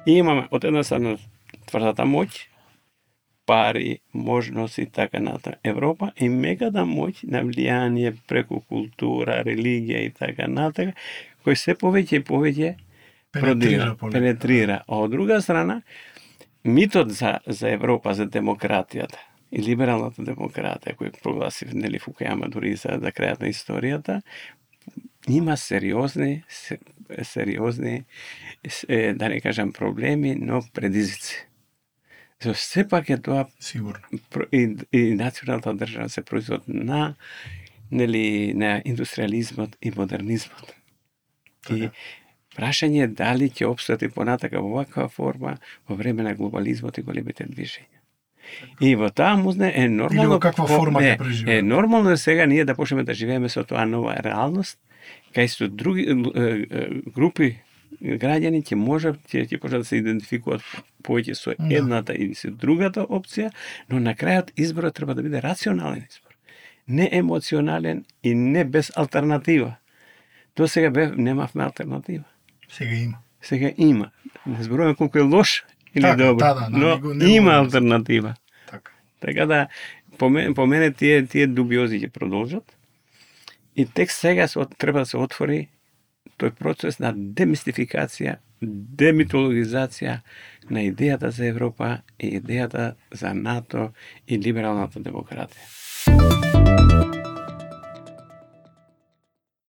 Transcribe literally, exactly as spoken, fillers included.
И имаме од една страна тврдата моќ, пари, можности, така натаму. Европа и меката моќ на влијание преку култура, религија и така натаму, кој се повеќе и повеќе продира, пенетрира. А од друга страна, митот за, за Европа, за демократијата и либералната демократија, кој прогласи нели Фукујама дури за, за крајот на историјата, има сериозни, сериозни, да не кажам проблеми, но предизвици. За сепак е тоа сигурно. И, и националната држава се производ на нели на индустриализмот и модернизмот. Така. И прашање е дали ќе опстати понатака во ваква форма во време на глобализмот и големите движења. И во таа музне е нормално... Или во каква форма ќе преживееме. Е нормално е сега ние да почнеме да живееме со тоа нова реалност, кај што други групи граѓани ќе можат ќе ќе почнат да се идентификуваат повеќе со едната или со другата опција, но на крајот изборот треба да биде рационален избор. Не емоционален и не без алтернатива. До сега бе, немавме алтернатива. Сега има. Сега има. Не зборуваме колку е лош или така, добро, да, да, но не, не има да алтернатива. Така. Така да, по мене, по мене тие, тие дубиози ќе продолжат и тек сега се, треба да се отвори тој процес на демистификација, демитологизација на идејата за Европа и идејата за НАТО и либералната демократија.